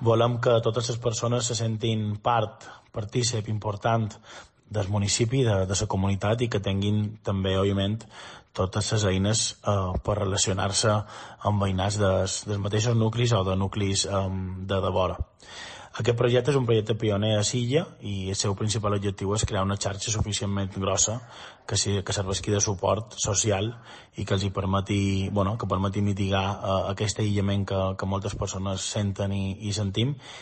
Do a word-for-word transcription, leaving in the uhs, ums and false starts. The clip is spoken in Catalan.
volem que totes les persones se sentin part, partícip, important del municipi, de, de la comunitat, i que tinguin també, òbviament, totes les eines eh, per relacionar-se amb veïnats dels, dels mateixos nuclis o de nuclis eh, de devora. Aquest projecte és un projecte pioner a Silla i el seu principal objectiu és crear una xarxa suficientment grossa que, si, que serveixi de suport social i que els hi permeti, bueno, que permeti mitigar eh, aquest aïllament que, que moltes persones senten i, i sentim,